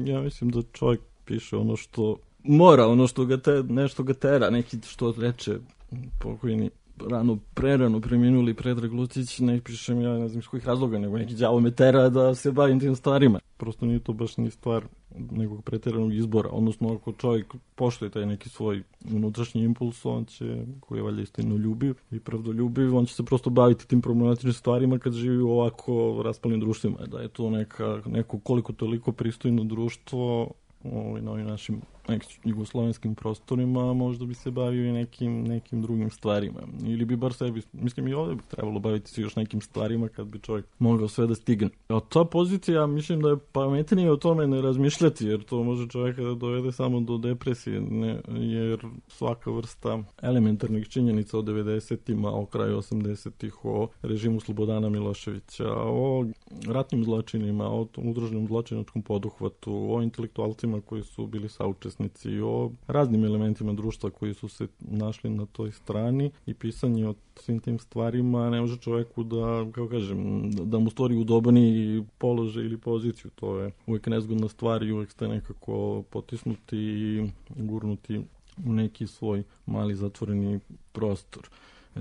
Ja mislim da čovjek piše ono što mora, ono što ga nešto ga tera, neki što reče pokojni prerano preminuli Predrag Lucić, ne pišem ja, ne znam iz kojih razloga, nego neki đavo me tera da se bavim tim stvarima. Prosto nije to baš ni stvar nekog preteranog izbora, odnosno ako čovjek poštuje taj neki svoj unutrašnji impuls, on će, koji je valjda istinoljubiv i pravdoljubiv, on će se prosto baviti tim problematičnim stvarima kad živi u ovako raspalnim društvima. Da je to neko koliko toliko pristojno društvo na ovim našim jugoslovenskim prostorima, možda bi se bavio i nekim drugim stvarima. Ili bi bar sebi, mislim i ovdje bi trebalo baviti se još nekim stvarima kad bi čovjek mogao sve da stigne. A ta pozicija, mislim da je pametnije o tome ne razmišljati, jer to može čovjeka da dovede samo do depresije, jer svaka vrsta elementarnih činjenica o 90-ima, o kraju 80-ih, o režimu Slobodana Miloševića, o ratnim zločinima, o udruženom zločinačkom poduhvatu, o intelektualcima koji su bili saučesnici, o raznim elementima društva koji su se našli na toj strani, i pisanje o svim tim stvarima ne može čovjeku da, kako kažem, da mu stvori udobni položaj ili poziciju. To je uvijek nezgodna stvar i uvijek ste nekako potisnuti i gurnuti u neki svoj mali zatvoreni prostor.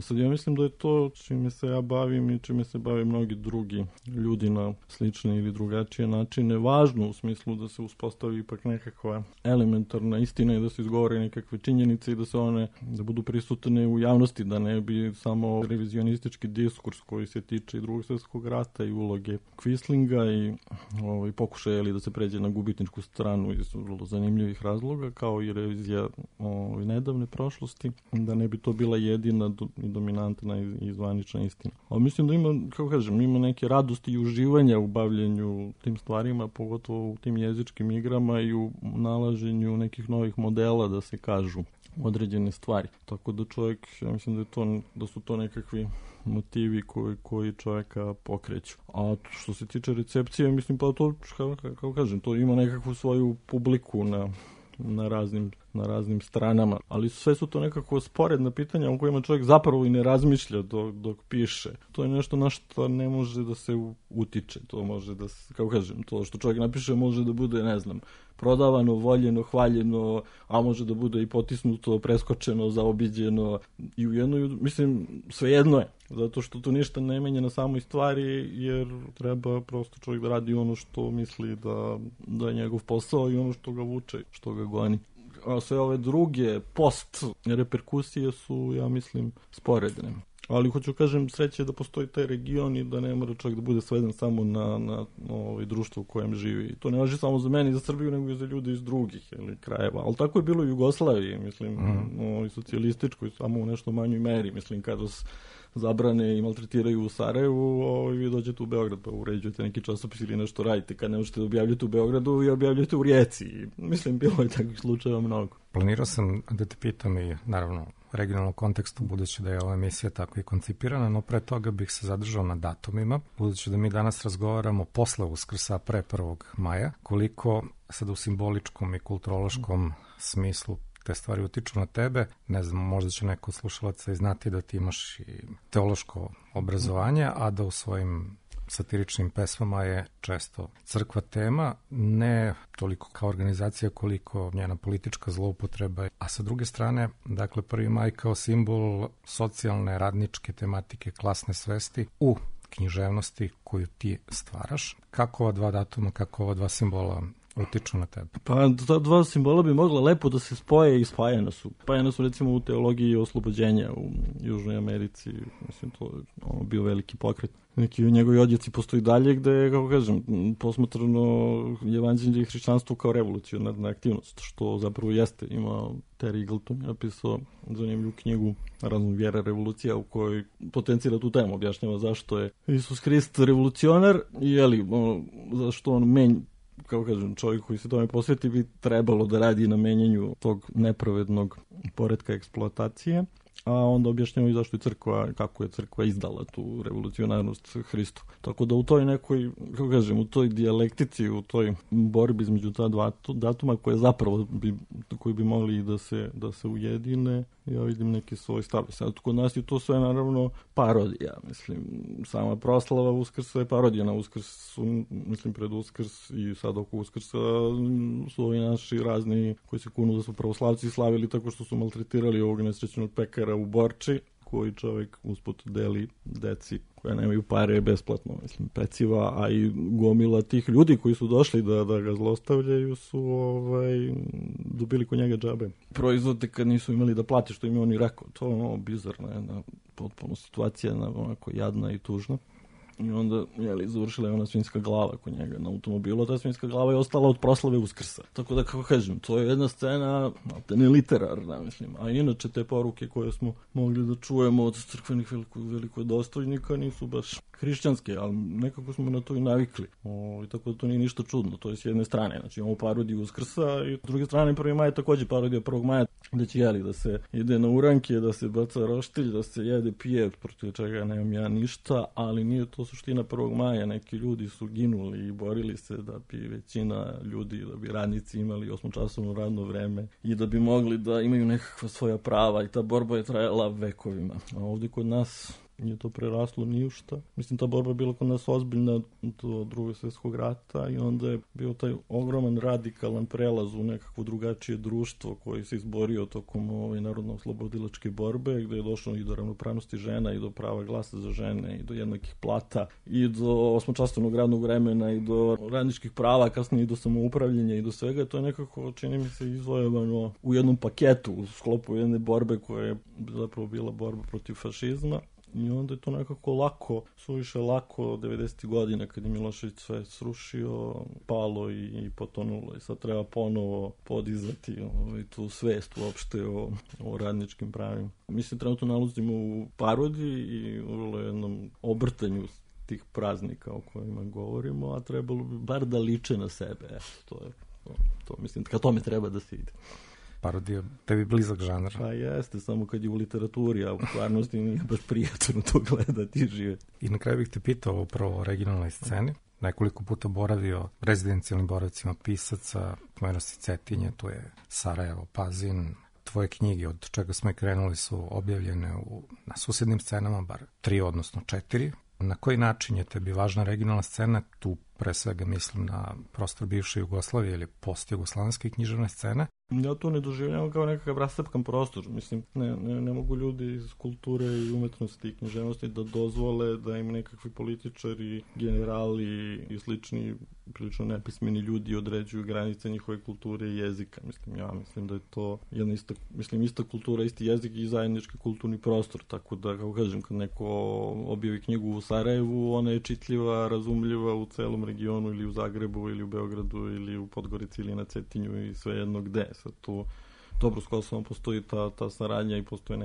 Sad ja mislim da je to čime se ja bavim i čime se bave mnogi drugi ljudi na slične ili drugačije načine važno, u smislu da se uspostavi ipak nekakva elementarna istina i da se izgovore nekakve činjenice i da se one da budu prisutne u javnosti, da ne bi samo revizionistički diskurs koji se tiče i Drugog svjetskog rata i uloge Quislinga i pokušaja da se pređe na gubitničku stranu iz vrlo zanimljivih razloga, kao i revizija nedavne prošlosti, da ne bi to bila jedina i dominantna i zvanična istina. Ali mislim da ima, kako kažem, ima neke radosti i uživanja u bavljenju tim stvarima, pogotovo u tim jezičkim igrama i u nalaženju nekih novih modela da se kažu određene stvari. Tako da čovjek, ja mislim da su to nekakvi motivi koji čovjeka pokreću. A što se tiče recepcije, mislim pa to, kako kažem, to ima nekakvu svoju publiku na raznim stranama, ali sve su to nekako sporedna pitanja o kojima čovjek zapravo i ne razmišlja dok piše. To je nešto na što ne može da se utiče. To može da se, kako kažem, to što čovjek napiše može da bude, ne znam, prodavano, voljeno, hvaljeno, a može da bude i potisnuto, preskočeno, zaobiđeno, i u jednoj, mislim, svejedno je, zato što to ništa ne menja na samoj stvari, jer treba prosto čovjek da radi ono što misli da je njegov posao i ono što ga vuče, što ga goni. A sve ove druge post reperkusije su, ja mislim, sporedne. Ali hoću kažem, sreće da postoji taj region i da ne mora čak da bude sveden samo na društvo u kojem živi. To ne važi samo za mene i za Srbiju, nego i za ljude iz drugih krajeva. Ali tako je bilo u Jugoslaviji, mislim, socijalističkoj, samo u nešto manjoj meri. Mislim, kada zabrane i maltretiraju u Sarajevu, vi dođete u Beograd pa uređujete neki časopis ili nešto radite. Kad ne možete da objavljate u Beogradu, vi objavljate u Rijeci. Mislim, bilo je takvih slučajeva mnogo. Planirao sam da te pitam i, naravno, u regionalnom kontekstu, budući da je ova emisija tako i koncipirana, no pre toga bih se zadržao na datumima, budući da mi danas razgovaramo posle Uskrsa, pre 1. maja, koliko sad u simboličkom i kulturološkom smislu te stvari utiču na tebe. Ne znam, možda će neko od slušalaca i znati da ti imaš i teološko obrazovanje, a da u svojim satiričnim pesmama je često crkva tema, ne toliko kao organizacija koliko njena politička zloupotreba. A sa druge strane, dakle, 1. maj kao simbol socijalne, radničke tematike, klasne svesti u književnosti koju ti stvaraš. Kako ova dva datuma, kako ova dva simbola utiču na tebe? Pa ta dva simbola bi mogla lepo da se spoje i spajana su. Spajana su recimo u teologiji oslobođenja u Južnoj Americi. Mislim, to je bio veliki pokret. Neki njegovi odjeci postoji dalje gde, kako kažem, posmatrano evanđelje i hrišćanstvo kao revolucionarna aktivnost, što zapravo jeste. Ima Terry Eagleton napisao zanimljivu knjigu Razum, vjera, revolucija, u kojoj potencira tu temu, objašnjava zašto je Isus Hrist revolucionar i zašto on kako kažem, čovjek koji se tome posveti bi trebalo da radi na menjanju tog nepravednog poretka eksploatacije, a onda objašnjamo i zašto je crkva, kako je crkva izdala tu revolucionarnost Hristu. Tako da u toj nekoj, kako kažem, u toj dijalektici, u toj borbi između ta dva datuma koji bi mogli da se ujedine, ja vidim neki svoj stav. Sad kod nas je to sve naravno parodija, mislim, sama proslava Uskrsa je parodija na Uskrs, mislim, pred Uskrs i sad oko Uskrsa su ovi naši razni koji se kunu da su pravoslavci slavili tako što su maltretirali ovog nesrećnog pekara u Borči, koji čovjek usput deli deci koja nemaju pare besplatno, mislim, peciva, a i gomila tih ljudi koji su došli da ga zlostavljaju su dobili kod njega džabe. Proizvode kad nisu imali da plate, što im je on i rekao. To je bizarna jedna potpuno situacija, onako jadna i tužna. I onda, završila je ona svinjska glava kod njega na automobilu, a ta svinjska glava je ostala od proslave Uskrsa. Tako da, kako kažem, to je jedna scena, ne literarna, mislim. A inače, te poruke koje smo mogli da čujemo od crkvenih velikodostojnika nisu baš hrišćanske, ali nekako smo na to i navikli. Tako da to nije ništa čudno. To je s jedne strane, znači imamo parodiju Uskrsa i s druge strane 1. maj je također parodija 1. maja, gde će da se ide na uranke, da se baca roštilj, da se jede, pije, protiv čega nemam ja ništa, ali nije to suština 1. maja. Neki ljudi su ginuli i borili se da bi većina ljudi, da bi radnici imali 8-časovno radno vreme i da bi mogli da imaju nekakva svoja prava i ta borba je trajala vekovima. A ovdje kod nas nije to preraslo ni u šta. Mislim, ta borba je bila kod nas ozbiljna do Drugog svjetskog rata i onda je bio taj ogroman radikalan prelaz u nekakvo drugačije društvo koji se izborio tokom narodno-oslobodilačke borbe, gde je došlo i do ravnopravnosti žena i do prava glasa za žene i do jednakih plata i do 8-časovnog radnog vremena i do radničkih prava, kasnije i do samoupravljenja i do svega. To je nekako, čini mi se, izvojevano u jednom paketu u sklopu jedne borbe koja je zapravo bila borba protiv fašizma. I onda je to nekako suviše lako 90. godina kad je Milošević sve srušio, palo i potonulo. I sad treba ponovo podizati tu svest uopšte o radničkim pravima. Mislim, trenutno nalazimo u parodiji i u jednom obrtanju tih praznika o kojima govorimo, a trebalo bi bar da liče na sebe. To mislim, ka tome treba da se ide. Parodija, tebi blizak žanr. Pa jeste, samo kad je u literaturi, a u stvarnosti nije baš prijatno to gledati i živjeti. I na kraju bih te pitao upravo o regionalnoj sceni. Nekoliko puta boravio rezidencijalnim boravcima pisaca, pomenuo si Cetinje, tu je Sarajevo, Pazin. Tvoje knjige, od čega smo i krenuli, su objavljene na susednim scenama, bar 3, odnosno 4. Na koji način je tebi važna regionalna scena? Tu pre svega mislim na prostor bivše Jugoslavije ili post-jugoslavijske književne scene. Ja to ne doživljavam kao nekakav rastepan prostor. Mislim, ne mogu ljudi iz kulture i umetnosti i književnosti da dozvole da im nekakvi političari, generali i slični prilično nepismeni ljudi određuju granice njihove kulture i jezika. Ja mislim da je to jedna ista kultura, isti jezik i zajednički kulturni prostor. Tako da, kako kažem, kad neko objavi knjigu u Sarajevu, ona je čitljiva, razumljiva u celom regionu ili u Zagrebu ili u Beogradu ili u Podgorici ili na Cetinju i svejedno gde. Sad tu dobro s Kosovom postoji ta saradnja i postoje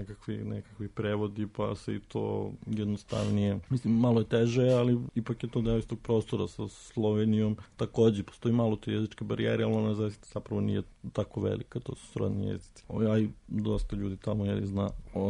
nekakvi prevodi, pa se i to jednostavnije. Mislim, malo je teže, ali ipak je to deo istog prostora. Sa Slovenijom takođe postoji malo te jezičke barijere, ali ona zapravo nije tako velika, to su srodni jezici. Ja i dosta ljudi tamo zna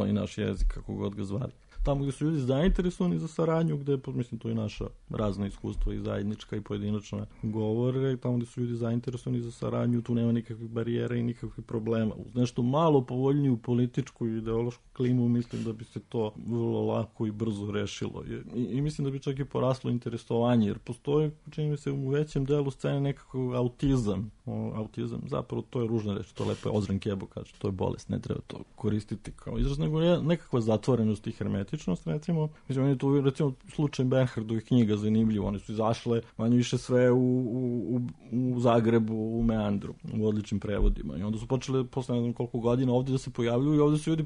i naš jezik, kako god ga zvali. Tamo gde su ljudi zainteresovani za saradnju, gde, mislim, to je naša razna iskustva i zajednička i pojedinačna govore, tamo gde su ljudi zainteresovani za saradnju, tu nema nikakvih barijera i nikakvih problema. Uz nešto malo povoljniju političku i ideološku klimu, mislim da bi se to vrlo lako i brzo rešilo. I mislim da bi čak i poraslo interesovanje, jer postoji, čini mi se, u većem delu scene nekakav autizam. Autizam, zapravo to je ružna reč, to lepo je Ozren Kebo kaže, to je bolest, ne treba to koristiti kao izraz, nego nekakva zatvorenost i hermetičnost, recimo. Mislim, je tu, recimo, slučaj Bernhardovih knjiga zanimljivo, one su izašle manje više sve u Zagrebu, u Meandru, u odličnim prevodima. I onda su počele, posle ne znam koliko godina, ovdje da se pojavljuju i ovdje se ljudi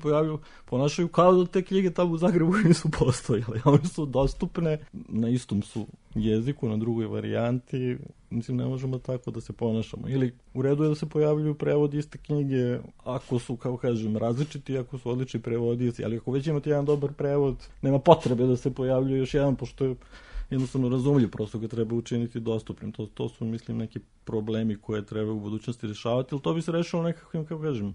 ponašaju kao da te knjige tamo u Zagrebu nisu postojale. One su dostupne, na istom su jeziku, na drugoj varijanti. Mislim, ne možemo tako da se ponašamo. Ili u redu je da se pojavljuju prevodi iste knjige ako su, kao kažem, različiti, ako su odlični prevodioci, ali ako već imate jedan dobar prevod, nema potrebe da se pojavljuje još jedan, pošto je jednostavno razumljiv, prosto ga treba učiniti dostupnim. To su, mislim, neki problemi koje treba u budućnosti rješavati, ali to bi se rešilo nekakvim, kako kažem,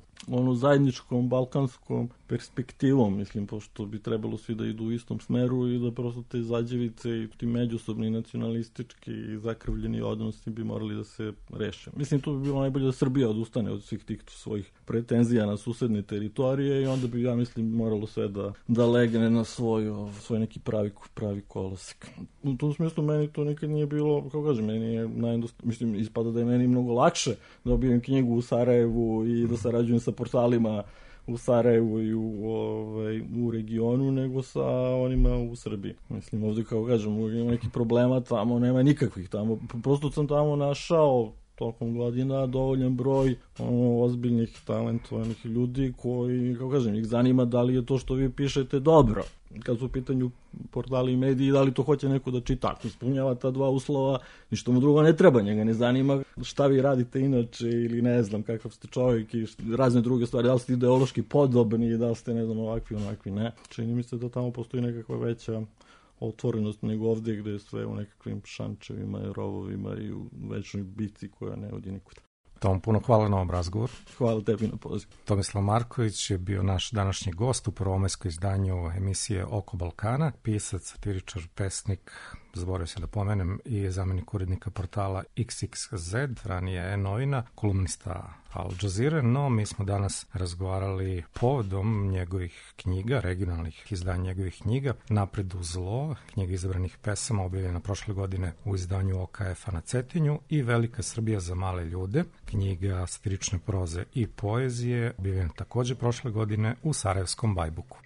zajedničkom, balkanskom perspektivom, mislim, pošto bi trebalo svi da idu u istom smeru i da prosto te zađevice i ti međusobni nacionalistički i zakrvljeni odnosi bi morali da se reše. Mislim, to bi bilo najbolje da Srbija odustane od svih tih svojih pretenzija na susedne teritorije i onda bi, ja mislim, moralo sve da legne na svoj neki pravi kolosek. U tom smislu meni to nikad nije bilo, kako kažem, meni je mislim, ispada da je meni mnogo lakše da objavim knjigu u Sarajevu i da sarađujem sa portalima u Sarajevu i u regionu nego sa onima u Srbiji. Mislim, ovdje, kako kažem, ima nekih problema, tamo nema nikakvih. Prosto sam tamo našao tokom godina dovoljan broj ozbiljnih, talentovanih ljudi koji, kako kažem, ih zanima da li je to što vi pišete dobro. Kad su u pitanju portali i mediji, da li to hoće neko da čita. Ako ispunjava ta dva uslova, ništa mu drugo ne treba, njega ne zanima šta vi radite inače ili ne znam kakav ste čovjek i razne druge stvari, da li ste ideološki podobni, da li ste, ne znam, ovakvi, ne. Čini mi se da tamo postoji nekakva veća otvorenost nego ovdje gdje je sve u nekakvim šančevima i rovovima i u večnoj bici koja ne vodi nikud. Tom, puno hvala na ovom razgovoru. Hvala tebi na poziv. Tomislav Marković je bio naš današnji gost u prvomajskoj izdanju emisije Oko Balkana, pisac, satiričar, pesnik, zaboravio se da pomenem, i zamjenik urednika portala XXZ, ranije E-novina, kolumnista Al Jazeera, no mi smo danas razgovarali povodom njegovih knjiga, regionalnih izdanja njegovih knjiga, Napred u zlo, knjiga izabranih pesama objavljena prošle godine u izdanju OKF-a na Cetinju, i Velika Srbija za male ljude, knjiga satirične proze i poezije, objavljena također prošle godine u Sarajevskom Bajbuku.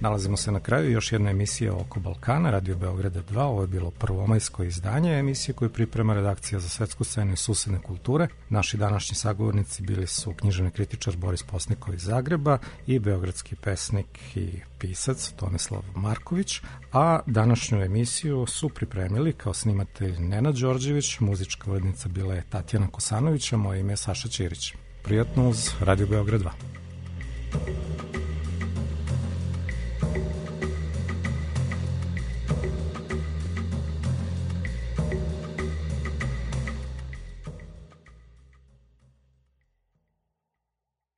Nalazimo se na kraju još jedna emisija Oko Balkana, Radio Beograda 2. Ovo je bilo prvomajsko izdanje emisije koju priprema redakcija za svetsku scenu i susedne kulture. Naši današnji sagovornici bili su književni kritičar Boris Posnikov iz Zagreba i beogradski pesnik i pisac Tomislav Marković, a današnju emisiju su pripremili kao snimatelj Nenad Đorđević, muzička urednica bila je Tatjana Kosanović, a moje ime je Saša Ćirić. Prijatno uz Radio Beograd 2.